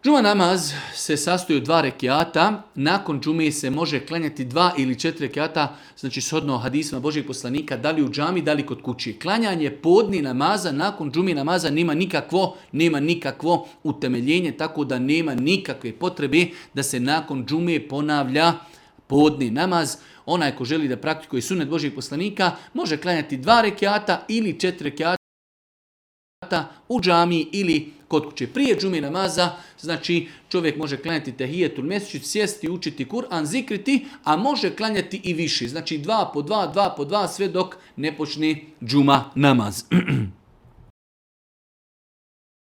Džuma namaz se sastoji od 2 rekiata, nakon džume se može klanjati 2 ili 4 rekiata, znači shodno hadisima Božjeg poslanika, da li u džami, da li kod kući. Klanjanje podni namaza nakon džumi namaza nema nikakvo utemeljenje, tako da nema nikakve potrebe da se nakon džume ponavlja podni namaz. Onaj ko želi da praktikuje sunnet Božjeg poslanika može klanjati 2 rekiata ili 4 rekiata u džami ili kod kuće. Prije džume namaza, znači čovjek može klanjati tehijetul mesdžid, sjesti, učiti Kur'an, zikriti, a može klanjati i više. Znači 2 po 2, 2 po 2, sve dok ne počne džuma namaz.